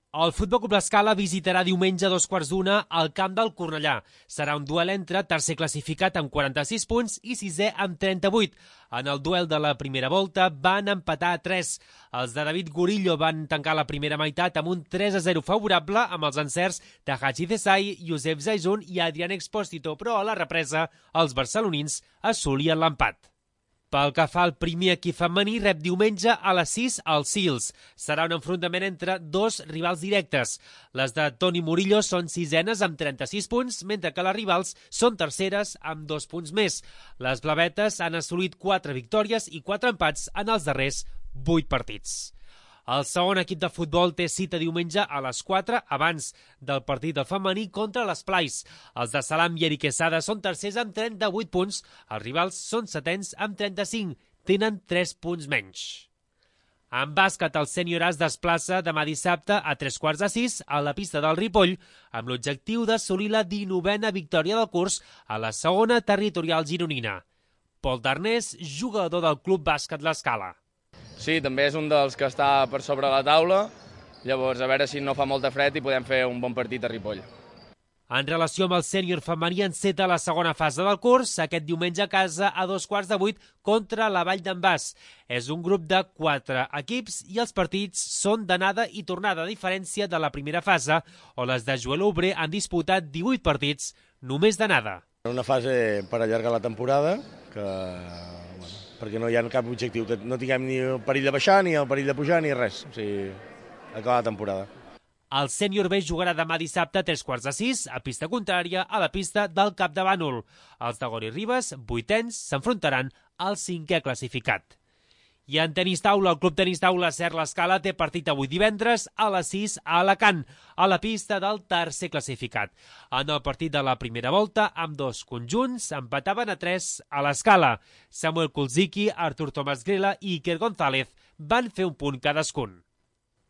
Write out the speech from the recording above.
El Futbol Club L'Escala visitarà diumenge a 2:15 al camp del Cornellà. Serà un duel entre tercer classificat amb 46 punts i sisè amb 38. En el duel de la primera volta van empatar a 3. Els de David Gurillo van tancar la primera meitat amb un 3-0 favorable amb els encerts de Haji Desai, Josep Zaizun i Adrián Expósito, però a la represa els barcelonins assolien l'empat. Pel que fa al primer equip femení, rep diumenge a les 6 al Sils. Serà un enfrontament entre dos rivals directes. Les de Toni Murillo són sisenes amb 36 punts, mentre que les rivals són terceres amb 2 punts més. Les blavetes han assolit 4 victòries i 4 empats en els darrers 8 partits. El segon equip de futbol té cita diumenge a les 4 abans del partit del femení contra les Plais. Els de Salam i Eric Quesada són tercers amb 38 punts, els rivals són setens amb 35, tenen 3 punts menys. En bàsquet, el sènior es desplaça demà dissabte a 5:45 a la pista del Ripoll amb l'objectiu d'assolir la 19a victòria del curs a la segona territorial gironina. Pol Darnés, jugador del Club Bàsquet L'Escala. Sí, també és un dels que està per sobre la taula, llavors a veure si no fa molta fred i podem fer un bon partit a Ripoll. En relació amb el sènior femení, enceta la segona fase del curs, aquest diumenge a casa a 7:15 contra la Vall d'en Bas. És un grup de 4 equips i els partits són d'anada i tornada, a diferència de la primera fase, on les de Joel Obrer han disputat 18 partits només d'anada. Una fase per allargar la temporada, perquè no hi ha cap objectiu, que no tinguem ni el perill de baixar, ni el perill de pujar, ni res. O sigui, acabar la temporada. El sènior B jugarà demà dissabte a 5:45 a pista contrària a la pista del Cap de Bànol. Els de Gori Ribes, 8ens, s'enfrontaran al 5è classificat. I en tenis taula, el Club Tenis Taula Ser L'Escala té partit avui divendres a les 6 a Alacant, a la pista del tercer classificat. En el partit de la primera volta, amb dos conjunts, empataven a 3 a l'Escala. Samuel Kulziki, Artur Tomàs Grela i Iker González van fer un punt cadascun.